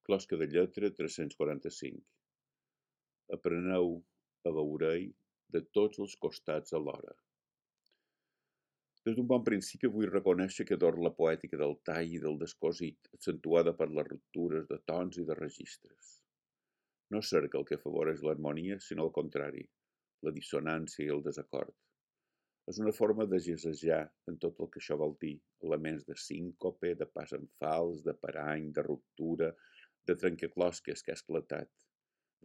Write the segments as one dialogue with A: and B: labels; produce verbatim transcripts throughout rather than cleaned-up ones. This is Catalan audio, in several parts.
A: Closca de lletra tres-cents quaranta-cinc. Apreneu a veure-hi de tots els costats alhora. Des d'un bon principi vull reconèixer que adoro la poètica del tall i del descosit, accentuada per les ruptures de tons i de registres. No cerca el que afavoreix l'harmonia, sinó al contrari, la dissonància i el desacord. És una forma de gesejar en tot el que això vol dir, elements de síncope, de pas en fals, de parany, de ruptura, de trencaclosques que ha esclatat,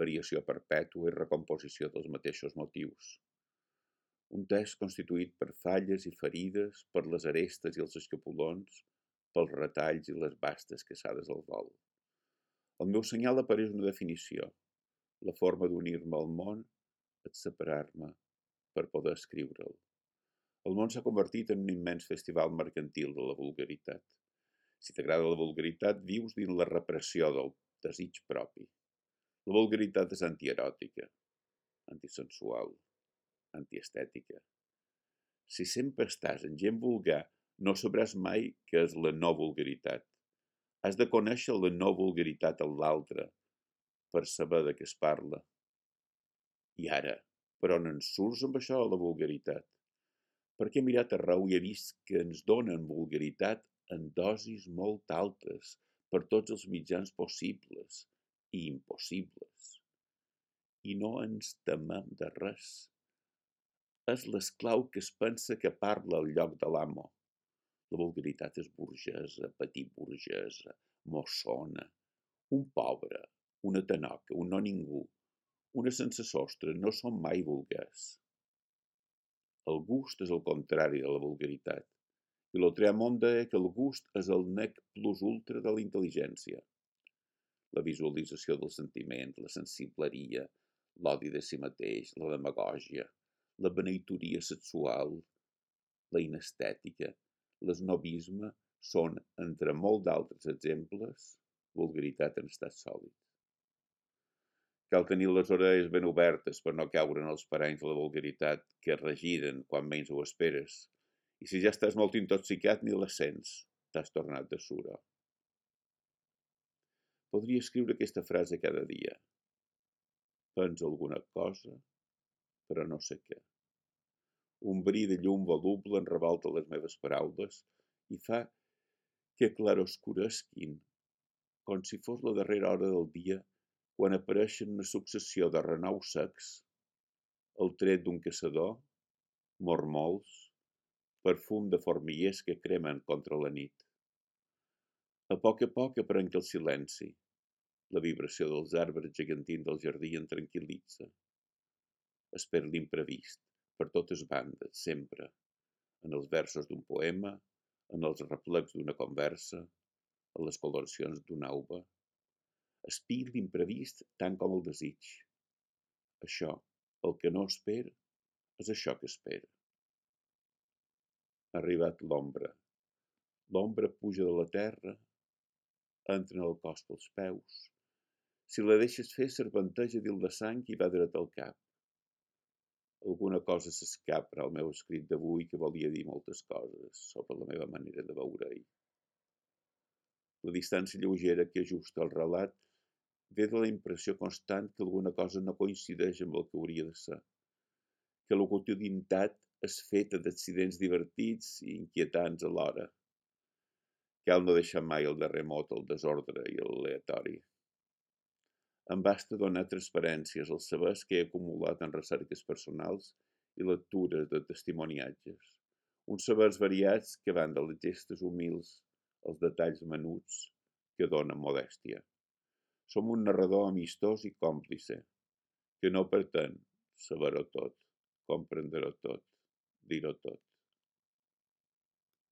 A: variació perpètua i recomposició dels mateixos motius. Un text constituït per falles i ferides, per les arestes i els escapolons, pels retalls i les bastes caçades al vol. El meu senyal apareix una definició, la forma d'unir-me al món, et separar-me per poder escriure'l. El món s'ha convertit en un immens festival mercantil de la vulgaritat. Si t'agrada la vulgaritat, vius dins la repressió del desig propi. La vulgaritat és antieròtica, antisensual, antiestètica. Si sempre estàs en gent vulgar, no sabràs mai què és la no vulgaritat. Has de conèixer la no vulgaritat en l'altre per saber de què es parla. I ara, per on en surts amb això de la vulgaritat? Perquè he mirat arreu i he vist que ens donen vulgaritat en dosis molt altes per tots els mitjans possibles i impossibles. I no ens temem de res. És l'esclau que es pensa que parla al lloc de l'amo. La vulgaritat és burgesa, petit burgesa, mossona, un pobre, una tanoca, un no ningú, una sense sostre, no són mai vulgars. El gust és el contrari de la vulgaritat, i l'Otreamont deia que el gust és el nec plus ultra de la intel·ligència. La visualització del sentiment, la sensibleria, l'odi de si mateix, la demagògia, la beneitoria sexual, la inestètica, l'esnobisme són, entre molt d'altres exemples, vulgaritat en estat sòlid. Cal tenir les orelles ben obertes per no caure en els paranys de la vulgaritat que es regiren quan menys ho esperes. I si ja estàs molt intoxicat ni les sents, t'has tornat de suro. Podria escriure aquesta frase cada dia. Penso alguna cosa, però no sé què. Un bri de llum voluble en revolta les meves paraules i fa que claroscuresquin, com si fos la darrera hora del dia quan apareixen una successió de renous secs, el tret d'un caçador, mormols, perfum de formiguers que cremen contra la nit. A poc a poc aprenc el silenci, la vibració dels arbres gegantins del jardí em tranquil·litza. Espero l'imprevist, per totes bandes, sempre, en els versos d'un poema, en els reflex d'una conversa, en les coloracions d'una auba. Espir l'imprevist tant com el desig. Això, el que no espera, és això que espera. Ha arribat l'ombra. L'ombra puja de la terra, entra en el cos pels peus. Si la deixes fer, serpenteja dins la sang i va dret al cap. Alguna cosa s'escapa al meu escrit d'avui que volia dir moltes coses sobre la meva manera de veure-hi. La distància lleugera que ajusta el relat ve de la impressió constant que alguna cosa no coincideix amb el que hauria de ser, que la quotidianitat és feta d'accidents divertits i inquietants alhora. Cal no deixar mai el darrer mot al desordre i l'aleatori. Em basta donar transparències als sabers que he acumulat en recerques personals i lectures de testimoniatges, uns sabers variats que van de les gestes humils als detalls menuts que donen modèstia. Som un narrador amistós i còmplice, que no pretén saber-ho tot, comprendre-ho tot, dir-ho tot.